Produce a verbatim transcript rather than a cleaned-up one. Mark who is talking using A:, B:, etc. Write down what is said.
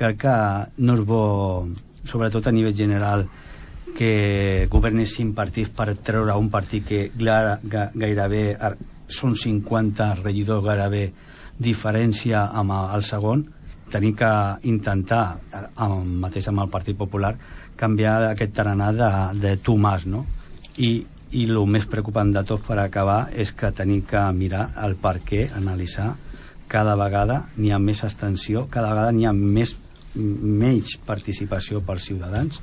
A: crec que no és bo, sobretot a nivell general, que governessin partits per treure un partit que gairebé són cinquanta regidors, gairebé diferència amb el segon. Tenim que intentar, amb, mateix amb el Partit Popular, canviar aquest tarannà de, de tu más, no? I, i el més preocupant de tot per acabar és que tenim que mirar el per què, analitzar. Cada vegada n'hi ha més abstenció, cada vegada n'hi ha més, menys participació per Ciutadans,